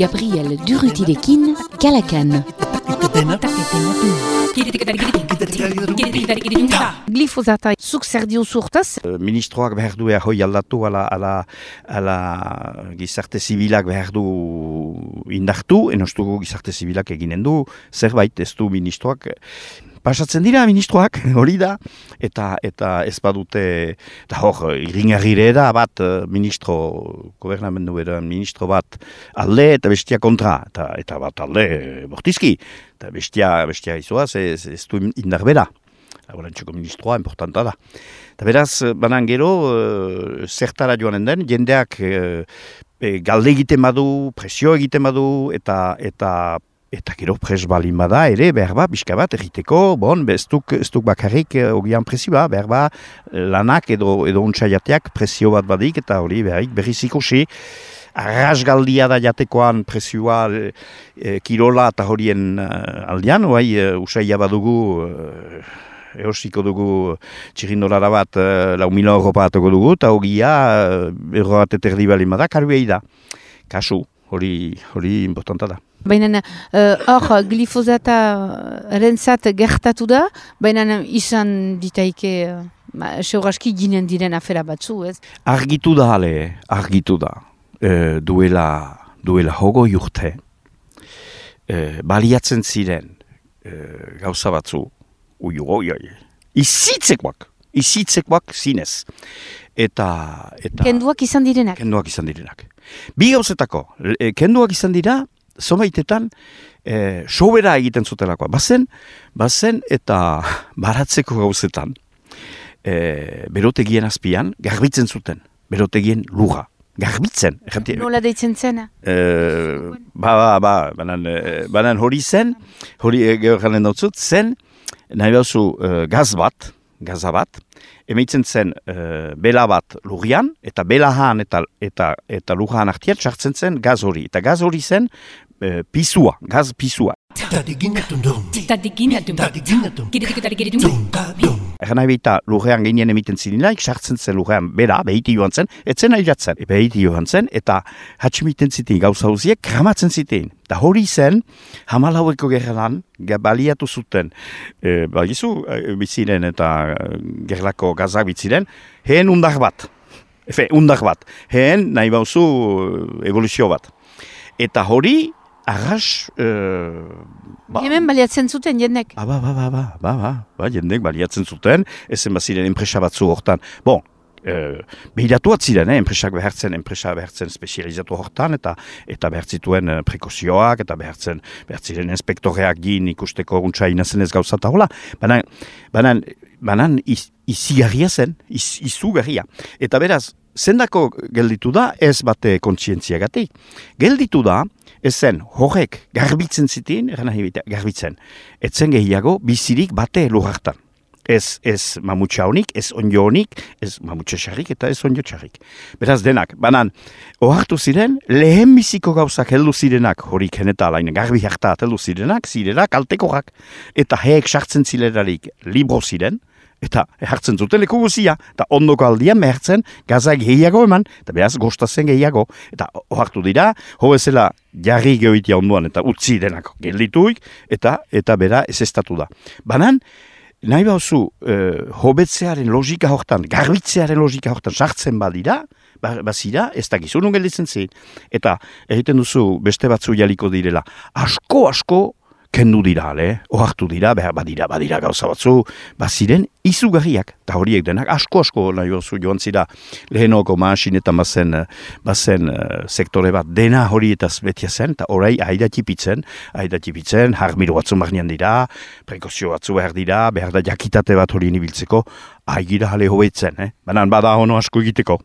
Gabriel Durrutirekin, Kalakan. Glifosata, zuk zer diozu hortaz? Ministroak behar du hoi aldatu ala gizarte zibilak behar du indartu, enostugu gizarte zibilak eginen du, zerbait ez du ministroak. Pasatzen dira ministroak, hori da, eta ez badute, eta hor, iringarrire da bat gobernamendu eran ministro bat alde eta bestia kontra, eta bat alde bortizki, eta bestia izoaz ez du indar bera. Horrentxeko ministroa, importanta da. Eta beraz, banan gero, zertara joanen den, jendeak galde egiten badu, presio egiten badu, eta gero pres balin bada ere, behar ba, pixka bat egiteko, ez duk bakarrik ogian presioa, behar ba, lanak edo untxaiateak presio bat badik, eta hori berriz ikusi, arrasgaldia da jatekoan presioa kirola eta horien aldean, usaila badugu, eosiko dugu txirindolara bat, 4.000 euro batoko dugu, eta hogia, euro bat eterdi balin bada, karbiei da. Kasu, hori importanta da. Baina hor glifosata rentzat gertatu da, baina izan ditaike seuraski ginen diren afera batzu, ez? Argitu da. Duela hogo urte, baliatzen ziren gauza batzu, izitzekoak zinez. Eta kenduak izan direnak. Bi gauzetako, kenduak izan dira, zomaitetan, sobera egiten zutelakoa. Bazen eta baratzeko gauzetan, berotegien azpian, garbitzen zuten, berotegien lurra. Garbitzen. Nola deitzen zena? Banan hori zen, hori gehoranen dautzut, zen, nahi bauzu gaza bat, emeitzen zen bela bat lurrian, eta belahan eta lurrahan artian txartzen zen gaz hori. Eta gaz hori zen gaz pisua. Egan nahi behita lurrean gehien emiten zinilaik, sartzen zen lurrean bera, behiti joan zen, etzen airatzen. Behiti joan zen, eta hatximiten zitein gauza hauziek, kramatzen zitein. Eta hori zen, hamalaueko gerran, baliatu zuten, biziren eta gerlako gazak biziren, heen undar bat. Heen nahi bauzu evoluzio bat. Eta hori, arras... Hemen baliatzen zuten jendek? Jendek baliatzen zuten, ezen baziren enpresa batzu hortan. Behiratuat ziren, enpresa behartzen spezializatu hortan, eta behartzituen prekozioak, eta behartziren inspektoreak gin ikusteko guntza inazen ez gauza eta hola. Banan izigarria zen, izugarria. Eta beraz, zendako gelditu da, ez bate kontzientziagatik. Gelditu da, ezen horrek garbitzen zitin, garbitzen, etzen gehiago bizirik bate lurartan. Ez mamutxa honik, ez onjo honik, ez mamutxa xarrik eta ez onjo txarrik. Beraz denak, banan, ohartu ziren, lehen biziko gauzak heldu zirenak, horik heneta alainen garbi hartat heldu zirenak, kaltekorak, eta heek sartzen zilerarik libro ziren, eta hartzen zuten leku guzia, eta ondoko aldian mehertzen gazak gehiago eman, eta behaz gostazen gehiago, eta ohartu dira, hobezela jarri geoitia onduan, eta utzi denako geldituik, eta bera ez estatu da. Banan, nahi bauzu, hobetzearen logika hortan, garbitzearen logika hortan sartzen badira, bazira, ez dakizu nun gelditzen zein. Eta egiten duzu beste batzu jaliko direla, asko, kendu dira, ohartu dira, badira gauza batzu, baziren izugarriak, eta horiek denak asko nahi bauzu joan zira lehenoko maasin eta bazen sektore bat dena horietaz betia zen, eta orai aidatipitzen, harmiro batzu marnian dira, prekozio batzu behar da jakitate bat horien ibiltzeko, aigira jale hobetzen, banan bada hono asko egiteko.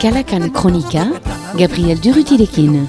Kalakan kronika, Gabriel Durrutirekin.